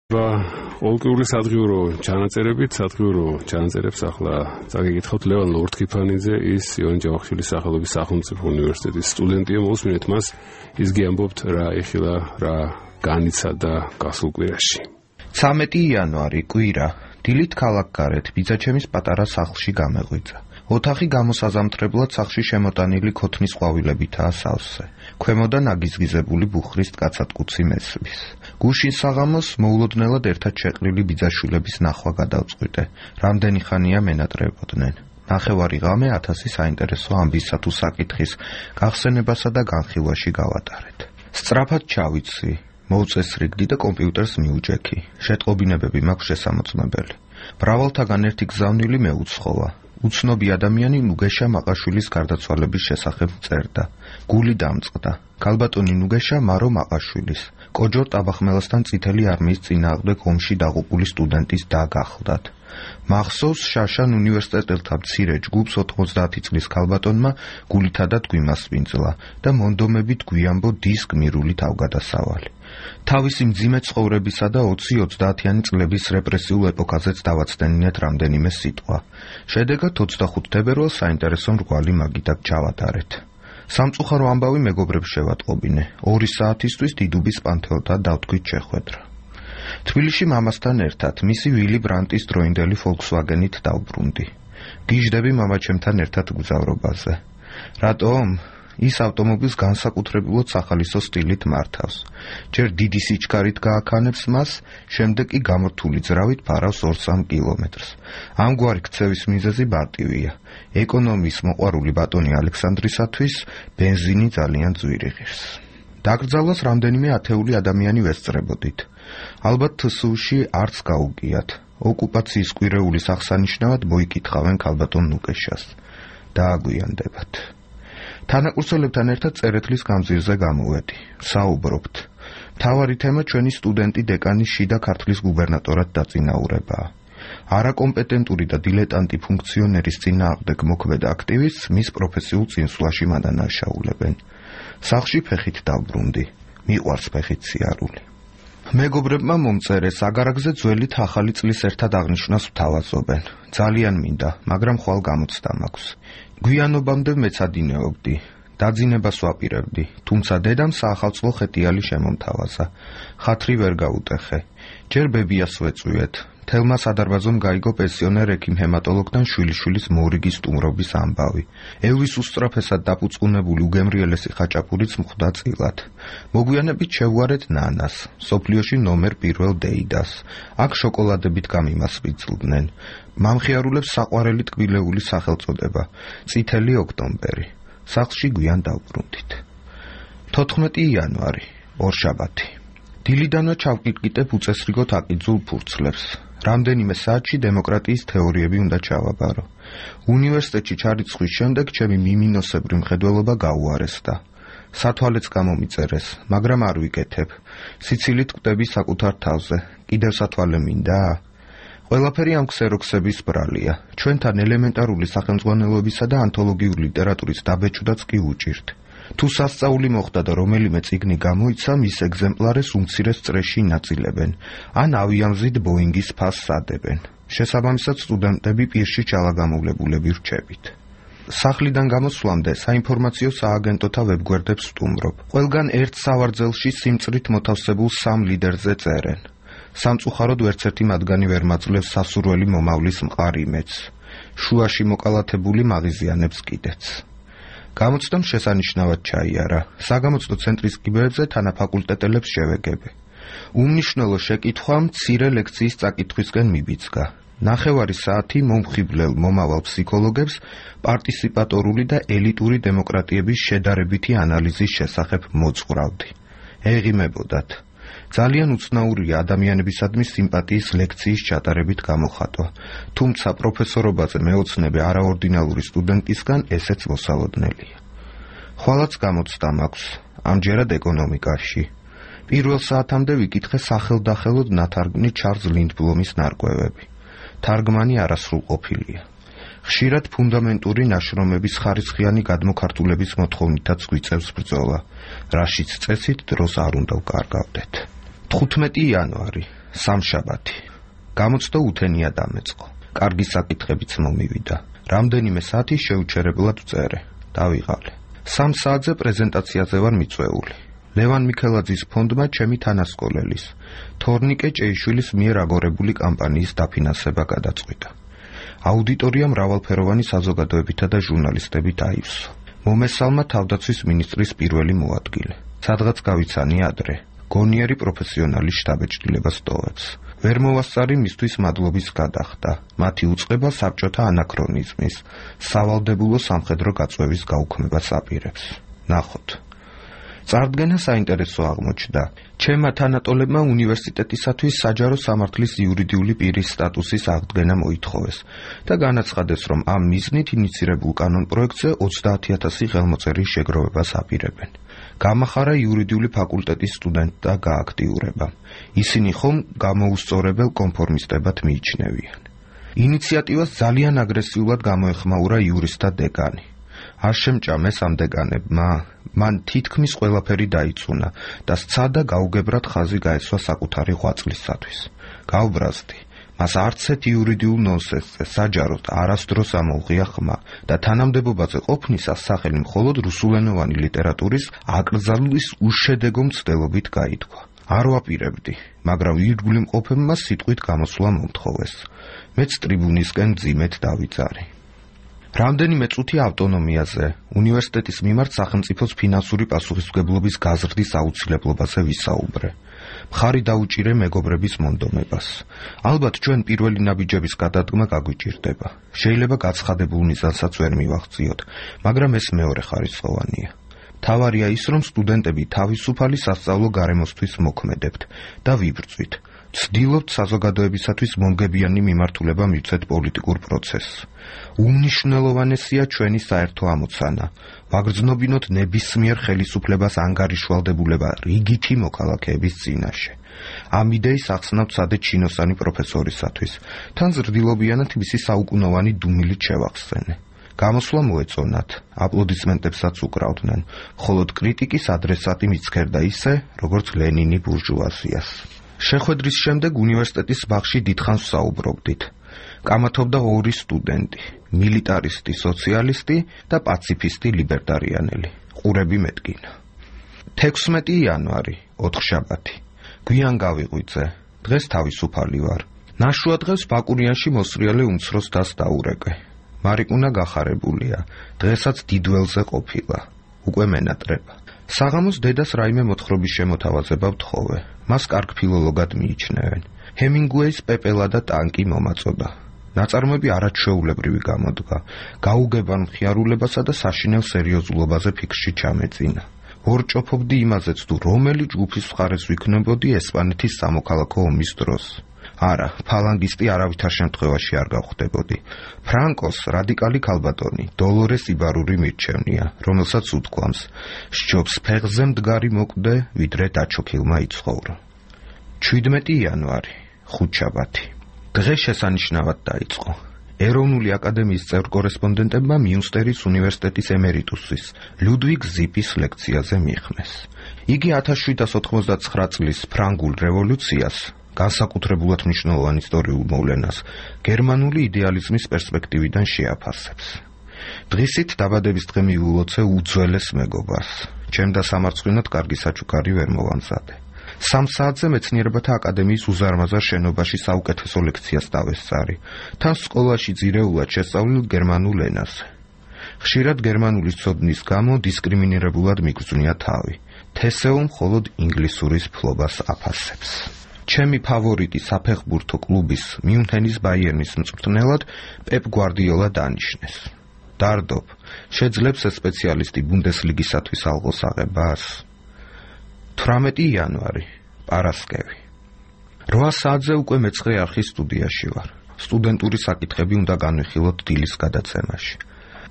ყოველკვირეული სადღიურო ჩანაწერებით, სადღიურო ჩანაწერებს ახლა წაგეკითხავთ ლევან ლორთქიფანიძე, ის იონი ჯავახიშვილის სახელობის სახელმწიფო უნივერსიტეტის სტუდენტია. მოსმინეთ მას, ის გიამბობთ რა ეხილა, რა განიცადა გასულ კვირაში. 13 იანვარი კვირა, დილით ქალაქგარეთ ბიძაჩემის პატარა სახლში გამეღვიძა. ოთახი გამოსაზამთრებლად სახლში შემოტანილი ქოთნის ყვავილებითაა სავსე. ქვემოდან აგიზგიზებული ბუხრის ტკაცატკუცი მესვლის. გუშინ საღამოს მოულოდნელად ერთად შეყრილი ბიძაშვილების ნახვა გადავწყვიტე. რამდენი ხანია მენატრებოდნენ. ნახევარი ღამე 1000 საინტერესო ამბისა თუ საკითხის გახსენებასა და განხილვაში გავატარეთ. სწრაფად ჩავიცი, მოვწესრიგდი და კომპიუტერს მიუჭექი. შეტყობინებები მაქვს შესამოწმებელი. მრავალთაგან ერთი გზავნილი მეუცხოვა. უცნობი ადამიანი ნუგეშა მაყაშვილის გარდაცვალების შესახებ წერდა. გული დამწყდა. ქალბატონი ნუგეშა მარო მაყაშვილის, კოჯორ ტაბახმელასთან წითელი არმიის წინააღმდეგ ომში დაღუპული სტუდენტის და გახლდათ. მახსოვს შაშან უნივერსიტეტელთა მცირე ჯგუფს 90 წლის ქალბატონმა გულითადად გვიმასპინძლა და მონდომებით გვიამბო დის გმირული თავგადასავალი. თავისი მძიმე ცხოვრებისა და 20-30-იანი წლების რეპრესიულ ეპოქაზეც დავაცდენინეთ რამდენიმე სიტყვა. შედეგად 25 თებერვალს საინტერესო მრგვალი მაგიდակ ჩავატარეთ. სამწუხარო ამბავი მეგობრებს შევატყობინე. 2 საათისთვის დიდუბის პანთეონთა დავთქვით შეხვედრა. თბილისში მამასთან ერთად მისი ვილი ბრანტის დროინდელი Volkswagen-ით დავბრუნდი. გიჟდები მამაჩემთან ერთად გზავრობაზე. რატომ? ის ავტომობილს განსაკუთრებულად სახალისო სტილით მართავს. ჯერ დიდი სიჩქარით გააქანებს მას, შემდეგ კი გამორთული ძრავით ფარავს 2-3 კილომეტრს. ამგვარი ქცევის მიზეზი მარტივია. ეკონომიის მოყვარული ბატონი ალექსანდრისათვის ბენზინი ძალიან ძვირი ღირს. დაკრძალვას რამდენიმე ათეული ადამიანი ვესწრებოდით. ალბათ თსუ-ში არც გაუგიათ. ოკუპაციის კვირეულის აღსანიშნავად მოიკითხავენ ქალბატონ ნუგეშას. დააგვიანდებათ. თანაკურსელებთან ერთად წერეთლის გამზირზე გამოვედი. საუბრობთ. მთავარი თემა ჩვენი სტუდენტი დეკანის შიდა ქართლის გუბერნატორად დაწინაურებაა. არაკომპეტენტური და დილეტანტი ფუნქციონერის წინააღმდეგ მოქმედ აქტივისტს მის პროფესიულ წინსვლაში მადანაშაულებენ. სახლში ფეხით დავბრუნდი. მიყვარს ფეხით სიარული. მეგობრებმა მომწერეს აგარაგზე ძველით ახალი წლის ერთად აღნიშვნას ვთავაზობენ. ძალიან მინდა, მაგრამ ხვალ გამოცდა მაქვს. გვიანობამდე მეცადინეობდი. დაძინებას ვაპირებდი, თუმცა დედამ საახალწლო ხეტიალი შემომთავაზა. ხათრი ვერ გაუტეხე. ჯერ ბებიას ვეწვიეთ. თელმა სადარბაზომ გაიგო პენსიონერ ექიმ ჰემატოლოგთან შვილიშვილის მორიგის სტუმრობის ამბავი. ელვის უსწრაფესად დაფუძყუნებული უგემრიელესი ხაჭაპურიც მხვდა წილად. მოგვიანებით შევგვარეთ ნანას, სოფლიოში ნომერ 1 დეიდას. აქ შოკოლადებით გამიმასპინძლდნენ. მამხიარულებს საყვარელი ტკბილეული სახელწოდება, წითელი ოქტომბერი. სახლში გვიან დავბრუნდით. 14 იანვარი, ორშაბათი. დილიდანვე ჩავკიდკიტებ უწესრიგოდ აკიძულ ფურცლებს. რამდენიმე საათში დემოკრატიის თეორიები უნდა ჩავაბარო. უნივერსიტეტში ჩარიცხვის შემდეგ ჩემი მიმინოსებრი მხედველობა გაუარესდა. სათვალეც გამომიწერეს, მაგრამ არ ვიკეთებ. სიცილით კვდები საკუთარ თავზე. კიდევ სათვალე მინდა? ყველაფერი ამ ქსეროქსების ბრალია. ჩვენთან ელემენტარული სახელმძღვანელოებისა და ანთოლოგიური ლიტერატურის დაბეჭდაც კი უჭირთ. თუ სასწაული მოხდა და რომელიმე წიგნი გამოიცა, მის ეგზემპლარეს უმცირეს წრეში ინაწილებენ, ან ავიამზით ბოინგის ფასს ადებენ. შესაბამისად სტუდენტები პირში ჩალაგამოვლებულები რჩებით. სახლიდან გამოსვლამდე საინფორმაციო სააგენტოთა ვებგვერდებს ვსტუმრობ. ყველგან ერთ სავარძელში სიმწრით მოთავსებულ 3 ლიდერზე წერენ. სამწუხაროდ ვერცერთი მათგანი ვერ მაძლევს სასურველი მომავლის მყარ იმედს. შუაში მოკალათებული მაღიზიანებს კიდეც. გამოცდამ შესანიშნავად ჩაიარა. საგამოცდო ცენტრის კიბეებზე თანაფაკულტეტელებს შევეგები. უმნიშვნელო შეკითხვა მცირე ლექციის წაკითხვისკენ მიბიძგა. ნახევარი საათი მომხიბლელ მომავალ ფსიქოლოგებს პარტიციპატორული და ელიტური დემოკრატიების შედარებითი ანალიზის შესახებ მოძღვრავდი. ეღიმებოდათ. ძალიან უცნაურია ადამიანებისადმი სიმპათიის ლექციის ჩატარებით გამოხატვა, თუმცა პროფესორობაზე მეოცნებე არაორდინალური სტუდენტისგან ესეც მოსალოდნელია. ხვალაც გამოცდა მაქვს, ამჯერად ეკონომიკაში. პირველ საათამდე ვიკითხე სახელდახელოდ ნათარგმნი ჩარლზ ლინდბლომის ნარკვევები. თარგმანი არასრულყოფილია. ხშირად ფუნდამენტური ნაშრომების ხარისხიანი გადმოქართულების მოთხოვნითაც გვიწევს ბრძოლა, რაშიც წესით დროს არ უნდა ვკარგავდეთ. 15 იანვარი. სამშაბათი. გამოცდა უთენია დამეწყო. კარგი საკითხებიც მომივიდა. რამდენიმე საათი შეუჩერებლად ვწერე. დავიღალე. 3 საათზე პრეზენტაციაზე ვარ მიწვეული. ლევან მიქელაძის ფონდმა ჩემი თანასკოლელის, თორნიკე ჭეიშვილის მიერ აგორებული კამპანიის დაფინანსება გადაწყვიტა. აუდიტორია მრავალფეროვანი საზოგადოებითა და ჟურნალისტებით აივსო. მომესალმა თავდაცვის მინისტრის პირველი მოადგილე. სადღაც გავიცანი ადრე. გონიერი პროფესიონალი შტაბ-ეჭდილებას ტოვებს. ვერ მოვასწარი მისთვის მადლობის გადახდა. მათი უწყება საბჭოთა ანაქრონიზმის, სავალდებულო სამხედრო გაწვევის გაუქმებას აპირებს. ნახოთ. წარდგენა საინტერესო აღმოჩნდა. ჩემმა თანატოლებმა უნივერსიტეტისათვის საჯარო სამართლის იურიდიული პირის სტატუსის აღდგენა მოითხოვეს და განაცხადეს, რომ ამ მიზნით ინიცირებულ კანონპროექტზე 30,000 ხელმოწერის შეგროვებას აპირებენ. გამახარა იურიდიული ფაკულტეტის სტუდენტთა გააქტიურება. ისინი ხომ გამოუსწორებელ კონფორმისტებად მიიჩნევიან. ინიციატივას ძალიან აგრესიულად გამოეხმაურა იურისტთა დეკანი. არ შემჭამეს ამ დეკანებმა, მან თითქმის ყველაფერი დაიწუნა და სცადა გაუგებრად ხაზი გაესვა საკუთარი ღვაწლისათვის. გავბრაზდი. მას არცეთ იურიდიულ ნონსენსზე საჯაროდ არასდროს ამოუღია ხმა და თანამდებობაზე ყოფნისას სახელი მხოლოდ რუსულენოვანი ლიტერატურის აკრძალვის უშედეგო მცდელობით გაითქვა. არ ვაპირებდი, მაგრამ ირგვლივ მყოფებმა სიტყვით გამოსვლა მომთხოვეს. მეც ტრიბუნისკენ მძიმედ დავიძარი. რამდენიმე წუთი ავტონომიაზე, უნივერსიტეტის მიმართ სახელმწიფოს ფინანსური პასუხისმგებლობის გაზრდის აუცილებლობაზე ვისაუბრე. მხარი დაუჭირე მეგობრების მონდომებას. ალბათ ჩვენ პირველი ნაბიჯების გადადგმა გაგვიჭირდება. შეიძლება გაცხადებულ მიზანსაც ვერ მივახციოთ, მაგრამ ეს მეორე ხარისხოვანია. თავარია ის, რომ სტუდენტები თავისუფალი სასწავლო გარემოსთვის მოქმედებთ და ვიბრძვით. ვცდილობთ საზოგადოებისათვის მომგებიანი მიმართულება მივცეთ პოლიტიკურ პროცესს. უმნიშვნელოვანესია ჩვენი საერთო ამოცანა. ვაგრძნობინოთ ნებისმიერ ხელისუფლებას ანგარიშვალდებულება რიგითი მოქალაქეების წინაშე. ამ იდეის ახსნავთ სადე ჩინოსანი პროფესორისათვის. თან ზრდილობიანად მისი საუკუნოვანი დუმილით შევახსენე. გამოსვლა მოეწონათ, აპლოდისმენტებსაც უკრავდნენ, მხოლოდ კრიტიკის ადრესატი მიცქერდა ისე, როგორც ლენინი ბურჟუაზიას. შეხვედრის შემდეგ უნივერსიტეტის ბაღში დიდხანს ვსაუბრობდით. კამათობდა 2 სტუდენტი, მილიტარისტი სოციალისტი და პაციფისტი ლიბერტარიანელი. ყურები მეტკინა. 16 იანვარი, 4 შაბათი. გვიან გავიღვიძე. დღეს თავისუფალი ვარ. ნაშუა დღეს ბაკურიანში მოსრიალე უმცროს დას დაურეკე. მარიკუნა გახარებულია. დღესაც დიდველზე ყოფილა. უკვე მენატრება. საღამოს დედას რაიმე მოთხრობის შემოთავაზება ვთხოვე. მას კარგ ფილოლოგად მიიჩნევენ. ჰემინგუეის პეპელა და ტანკი მომაწოდა. ნაწარმოები არაჩვეულებრივი გამოდგა. გაუგებარ მხიარულებასა და საშინელ სერიოზულობაზე ფიქრში ჩამეწინა. ვორჭოფობდი იმაზეც, თუ რომელი ჯგუფის მხარეს ვიქნებოდი ესპანეთის სამოქალაქო ომის დროს. არა, ფალანგისტი არავითარ შემთხვევაში არ გავხდებოდი. ფრანკოს რადიკალი ქალბატონი, დოლორეს იბარური მირჩევნია, რომელსაც უთქვამს, სჯობს ფეხზე მდგარი მოკვდე, ვიდრე დაჩოქილმა იცხოვრო. 17 იანვარი, 5 შაბათი. დღე შესანიშნავად დაიწყო. ეროვნული აკადემიის წევრ კორესპონდენტებმა მიუნსტერის უნივერსიტეტის ემერიტუსის, ლუდვიგ ზიპის ლექციაზე მიიხმეს. იგი 1789 წლის ფრანგულ რევოლუციას, განსაკუთრებულად მნიშვნელოვან ისტორიულ მოვლენას, გერმანული იდეალიზმის პერსპექტივიდან შეაფასებს. დღისით დაბადების დღე მივულოცე უძველეს მეგობარს. ჩემ და სამარცხვინოდ კარგი საჩუქარი ვერ მოვამზადე. 3 საათზე მეცნიერებათა აკადემიის უზარმაზარ შენობაში საუკეთესო ლექციას დავესწარი. თან სკოლაში ძირეულად შესწავლილ გერმანულ ენაზე. ხშირად გერმანული ცოდნის გამო დისკრიმინირებულად მიგრძვნია თავი. თესეო მხოლოდ ინგლისურის ფლობას აფასებს. ჩემი ფავორიტი საფეხბურთო კლუბის მიუნჰენის ბაიერნის მწვრთნელად პეპ გვარდიოლა დანიშნეს. დარდობ, შეძლებს ეს სპეციალისტი ბუნდესლიგისათვის ალღოს აღებას. 18 იანვარი, პარასკევი. 8 საათზე უკვე მეცხრე არხის სტუდიაში ვარ. სტუდენტური საკითხები უნდა განვიხილოთ დილის გადაცემაში.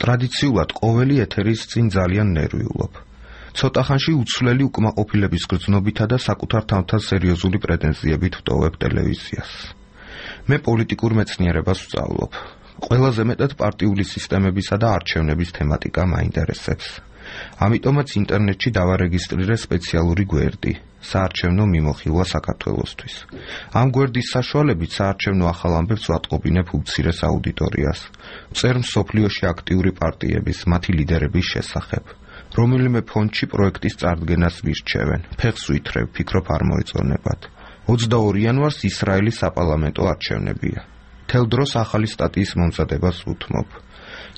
ტრადიციულად ყოველი ეთერის წინ ძალიან ნერვიულობ. ცოტა ხანში უცვლელი უკმაყოფილების გრძნობითა და საკუთარ თამთან სერიოზული პრეტენზიებით ვტოვებ ტელევიზიას. მე პოლიტიკურ მეცნიერებას ვსწავლობ. ყველაზე მეტად პარტიული სისტემებისა და არჩევნების თემატიკა მაინტერესებს. ამიტომაც ინტერნეტში დავარეგისტრირე სპეციალური გვერდი საარჩევნო მიმოხილვა საქართველოსთვის. ამ გვერდის საშუალებით საარჩევნო ახალ ამბებს ვატყობინებ უმცირეს აუდიტორიას. წერ მსოფლიოში აქტიური პარტიების, მათი ლიდერების შესახებ. რომელიმე ფონდში პროექტის წარდგენას ვირჩევენ. ფეხს ვითრევ, ფიქრობ არ მოეწონებათ. 22 იანვარს ისრაელის საპარლამენტო არჩევნებია. თელ დროს ახალი სტატიის მომზადებას უთმობ.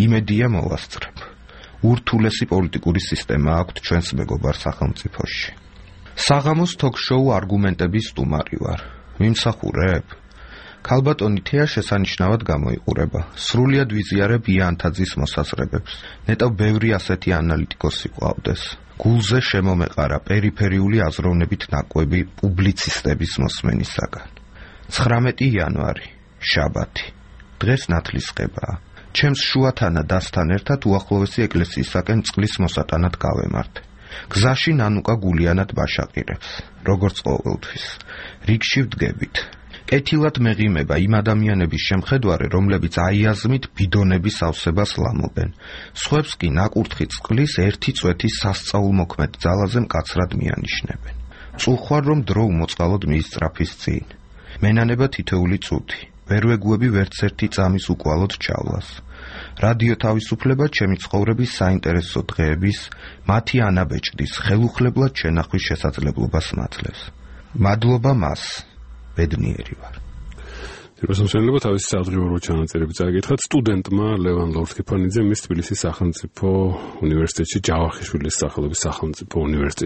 იმედია მოვასწრებ. ურთულესი პოლიტიკური სისტემა აქვთ ჩვენს მეგობარ სახელმწიფოში. საღამოს თოქ-შოუ არგუმენტების სტუმარი ვარ. მიმსახურებ? ქალბატონი თეა შესანიშნავად გამოიყურება. სრულიად ვიზიარებ იანთაძის მოსაზრებებს. ნეტავ ბევრი ასეთი ანალიტიკოსი ყავდეს. გულზე შემომეყარა პერიფერიული აზროვნებით ნაკვები პუბლიცისტების მოსმენისაგან. 19 იანვარი, შაბათი. დღეს ნათლისღებაა. ჩემს შუათანა დასთან ერთად უახლოესი ეკლესიისაკენ წყლის მოსატანად გავემართე. გზაში ნანუკა გულიანად ბაშაყირებს, როგორც ყოველთვის. რიგში ვდგებით. კეთილად მეღიმება იმ ადამიანების შემხედვარე, რომლებიც აიაზმით ბიდონების ავსებას ლამობენ. სხვებს კი ნაკურთხი წყლის ერთი წვეთის სასწაულმოქმედ ძალაზე მკაცრად მიანიშნებენ. წუხვარ რომ დრო უმოწყალოდ მიისწრაფის წინ. მენანება თითოეული წუთი. ვერ ვეგუები ვერც ერთი წამის უკვალოდ ჩავლას. რადიო თავისუფლება ჩემი ცხოვრების საინტერესო დღეების, მათი ანაბეჭდის, ხელუხლებლად შენახვის შესაძლებლობას მაძლევს. მადლობა მას. ბედნიერი ვარ. რუსთაველობა თავისი საავადმყოფო ჩანაწერები წაიკითხათ სტუდენტმა ლევან ლორთქიფანიძემ მის თბილისის სახელმწიფო უნივერსიტეტში ჯავახიშვილის სახელობის სახელმწიფო უნივერსიტეტში